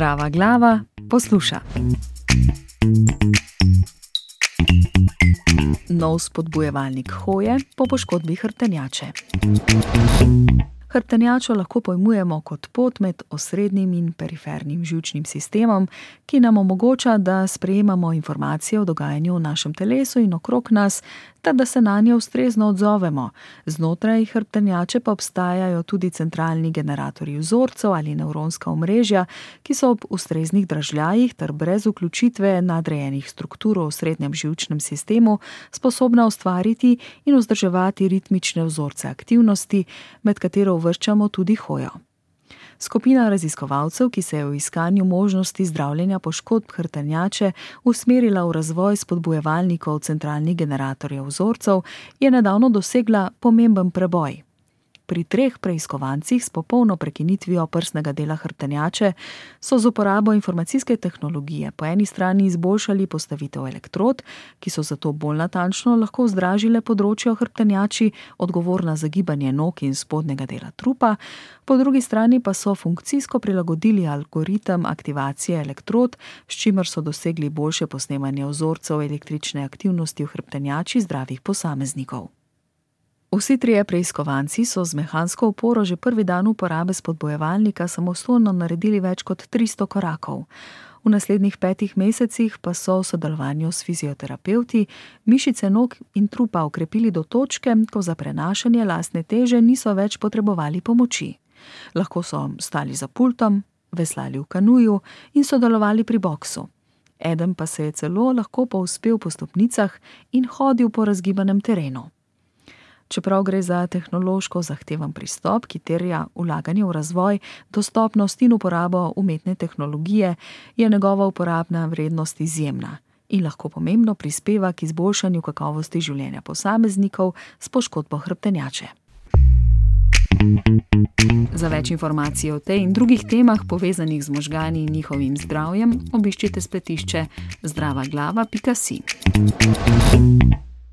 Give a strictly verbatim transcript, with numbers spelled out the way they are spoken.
Zdrava glava posluša. Nov spodbujevalnik hoje po poškodbi hrbtenjače. Hrbtenjačo lahko pojmujemo kot pot med osrednjim in perifernim živčnim sistemom, ki nam omogoča, da sprejemamo informacije o dogajanju v našem telesu in okrog nas, ter da se nanje ustrezno odzovemo. Znotraj hrbtenjače pa obstajajo tudi centralni generatorji vzorcev ali nevronska omrežja, ki so ob ustreznih dražljajih ter brez vključitve nadrejenih struktur v osrednjem živčnem sistemu sposobna ustvariti in vzdrževati ritmične vzorce aktivnosti, med katero uvrščamo tudi hojo. Skupina raziskovalcev, ki se je v iskanju možnosti zdravljenja poškodb hrbtenjače usmerila v razvoj spodbujevalnikov centralnih generatorjev vzorcev, je nedavno dosegla pomemben preboj. Pri treh preiskovancih s popolno prekinitvijo prsnega dela hrbtenjače so z uporabo informacijske tehnologije po eni strani izboljšali postavitev elektrod, ki so zato bolj natančno lahko vzdražile področje v hrbtenjači, odgovorna za gibanje nog in spodnjega dela trupa, po drugi strani pa so funkcijsko prilagodili algoritem aktivacije elektrod, s čimer so dosegli boljše posnemanje vzorcev električne aktivnosti v hrbtenjači zdravih posameznikov. Vsi trije preiskovanci so z mehansko oporo že prvi dan uporabe spodbujevalnika samostojno naredili več kot tristo korakov. V naslednjih petih mesecih pa so v sodelovanju s fizioterapevti mišice nog in trupa okrepili do točke, ko za prenašanje lastne teže niso več potrebovali pomoči. Lahko so stali za pultom, veslali v kanuju in sodelovali pri boksu. Eden pa se je celo lahko povzpel po stopnicah in hodil po razgibanem terenu. Čeprav gre za tehnološko zahteven pristop, ki terja vlaganje v razvoj, dostopnost in uporabo umetne tehnologije, je njegova uporabna vrednost izjemna in lahko pomembno prispeva k izboljšanju kakovosti življenja posameznikov s poškodbo hrbtenjače. Za več informacij o tej in drugih temah povezanih z možgani in njihovim zdravjem, obiščite spletišče zdrava glava pika si.